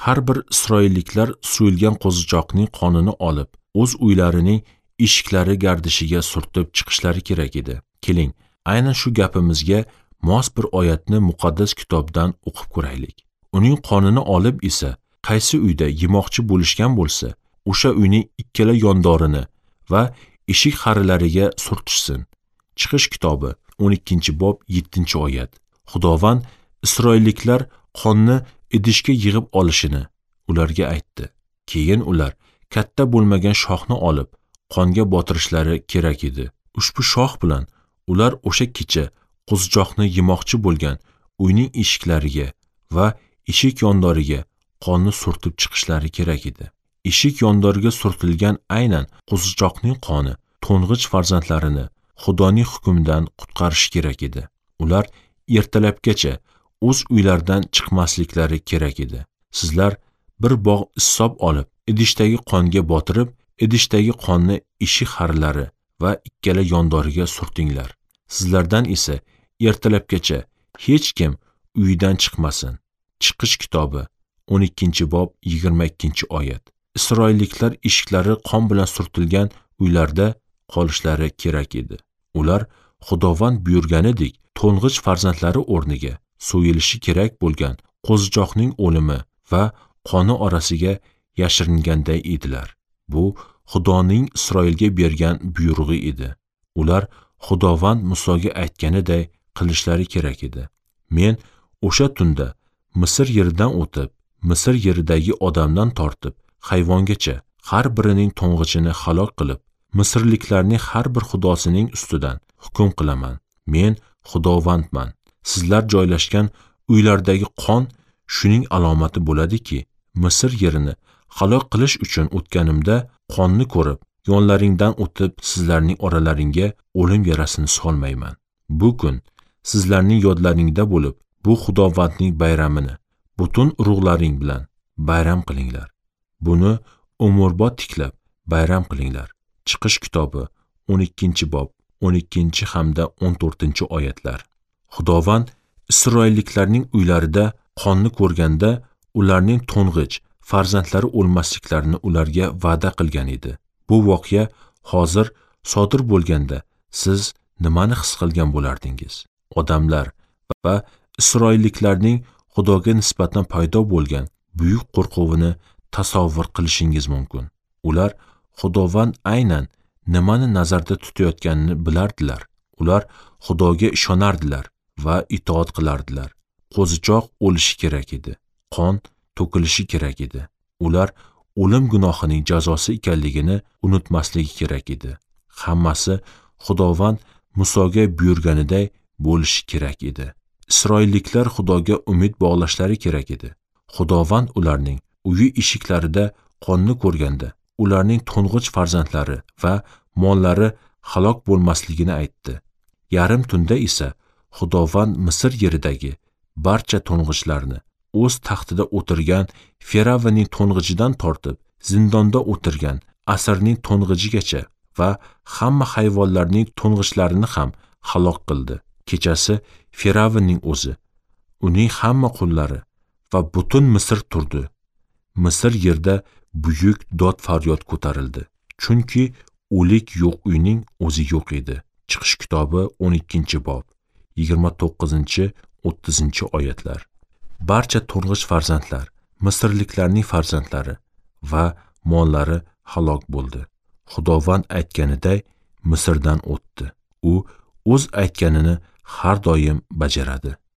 Har bir isroilliklar so'yilgan qo'zichoqning qonini olib, o'z uylarining eshiklari gardishiga surtib chiqishlari kerak edi. Keling, aynan shu gapimizga mos bir oyatni muqaddas kitobdan o'qib ko'raylik. Uning qonini olib esa qaysi uyda yemoqchi bo'lishgan bo'lsa, o'sha uyning ikkala yondorini va eshik xarilariga surtishsin. Chiqish kitobi 12-bob 7-oyat. Xudovand isroilliklar qonni idishga yig'ib olishini ularga aytdi. Keyin ular katta bo'lmagan shoxni olib, qonga botirishlari kerak edi. Ushbu shox bilan ular o'sha kecha qo'zichoqni yemoqchi bo'lgan uyning eshiklariga va eshik yondoriga qonni surtib chiqishlari kerak edi. Eshik yondoriga surtilgan aynan qo'zichoqning qoni to'ng'ich farzandlarini Xudoning hukmidan qutqarishi kerak edi. Ular ertalabgacha o'z uylaridan chiqmasliklari kerak edi. Sizlar bir bog' issob olib, idishdagi qonga botirib, idishdagi qonni eshik xarilari va ikkala yondoriga surtinglar. Sizlardan esa ertalabgacha hech kim uyidan chiqmasin. Chiqish kitobi 12-bob 22-oyat. Isroilliklar eshiklari qon bilan surtilgan uylarda qolishlari kerak edi. Ular Xudovand buyurganidek to'ng'ich farzandlari o'rniga so'yilishi kerak bo'lgan qo'zichoqning o'limi va qoni orasiga yashiringanday edilar. Bu Xudoning Isroilga bergan buyrug'i edi. Ular Xudovand Musoga aytganiday qilishlari kerak edi. Men o'sha tunda Misr yeridan o'tib, Misr yeridagi odamdan tortib hayvongacha har birining to'ng'ichini halok qilib, Misrliklarning har bir xudosining ustidan hukm qilaman. Men Xudovandman. Sizlar joylashgan uylardagi qon shuning alomati bo'ladiki, Misr yerini halok qilish uchun o'tganimda qonni ko'rib, yonlaringdan o'tib sizlarning oralaringga o'lim yarasini solmayman. Bu kun sizlarning yodlaringda bo'lib, bu Xudovandning bayramini butun urug'laring bilan bayram qilinglar. Buni umrbod tiklab bayram qilinglar. Chiqish kitobi 12-bob 12 hamda 14-oyatlar. Xudovand isroilliklarning uylarida qonni ko'rganda ularning to'ng'ich farzandlari o'lmasliklarini ularga va'da qilgan edi. Bu voqea hozir sodir bo'lganda siz nimani his qilgan bo'lardingiz? Odamlar va isroilliklarning Xudoga nisbatan paydo bo'lgan buyuk qo'rquvini tasavvur qilishingiz mumkin. Ular Xudovand aynan nimani nazarda tutayotganini bilardilar. Ular Xudoga ishonardilar va itoat qilardilar. Qo'zichoq o'lishi kerak edi. Qon to'kilishi kerak edi. Ular o'lim gunohining jazosi ekanligini unutmasligi kerak edi. Hammasi Xudovand Musoga buyurganiday bo'lishi kerak edi. Isroilliklar Xudoga umid bog'lashlari kerak edi. Xudovand ularning uyi eshiklarida qonni ko'rganda ularning to'ng'ich farzandlari va mollari halok bo'lmasligini aytdi. Yarim tunda esa Xudovand Misr yeridagi barcha to'ng'ichlarni o'z taxtida o'tirgan Firavnning to'ng'ichidan tortib zindonda o'tirgan asirning to'ng'ichigacha va hamma hayvonlarning to'ng'ichlarini ham halok qildi. Kechasi Firavnning o'zi, uning hamma qullari va butun Misr turdi. Misr yerda buyuk dod faryod ko'tarildi. Chunki o'lik yo'q uyning o'zi yo'q edi. Chiqish kitobi 12-bob 29-30-oyatlar. Barcha to'ng'ich farzandlar, Misrliklarning farzandlari va mollari halok bo'ldi. Xudovand aytganiday Misrdan o'tdi. U o'z aytganini har doim bajaradi.